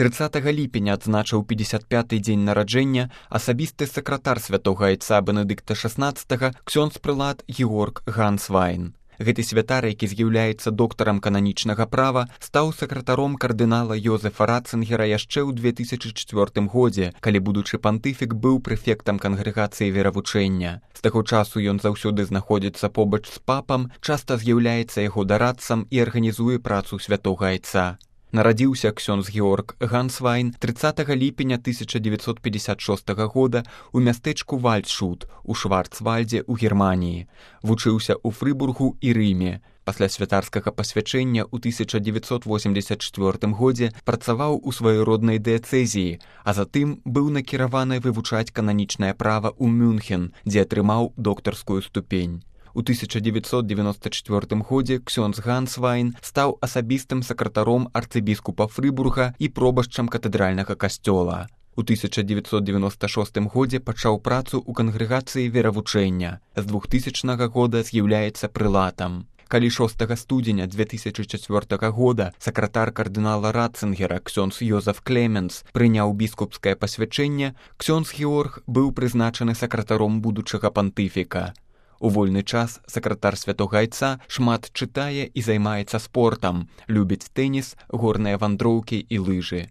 30 ліпеня адзначыў 55-й дзень нараджэння асабісты сакратар святога айца Бенедыкта XVI ксёндз-прылад Георг Гансвайн. Гэты святар, які з'яўляецца доктарам кананічнага права, стаў сакратаром кардынала Йозефа Ратцынгера яшчэ ў 2004 годзе, калі будучы пантыфік быў прэфектам кангрэгацыі веравучэння. З таго часу ён заўсёды знаходзіцца побач з папам, часта з'яўляецца яго дарадцам і арганізуе працу святога айца. Нарадзіўся ксёндз Георг Гансвайн 30 ліпеня 1956 года ў мястэчку Вальдшут у Шварцвальдзе ў Германіі. Вучыўся ў Фрыбургу і Рыме. Пасля святарскага пасвячэння ў 1984 годзе працаваў у сваёй роднай дыяцэзіі, а затым быў накіраваны вывучаць кананічнае права ў Мюнхен, дзе атрымаў доктарскую ступень. У 1994 годзе ксёндз Гансвайн стаў асабістым сакратаром арцыбіскупа Фрыбурга і пробашчам катэдральнага касцёла. У 1996 годзе пачаў працу ў кангрэгацыі веравучэння. З 2000 года з'яўляецца прылатам. Калі 6 студзеня 2004 года сакратар кардынала Ратцынгера ксёндз Йозеф Клеменс прыняў біскупскае пасвячэнне, ксёндз Георг быў прызначаны сакратаром будучага пантыфіка. У вольны час сакратар святога айца шмат чытае і займаецца спортам, любіць тэніс, горныя вандроўкі і лыжы.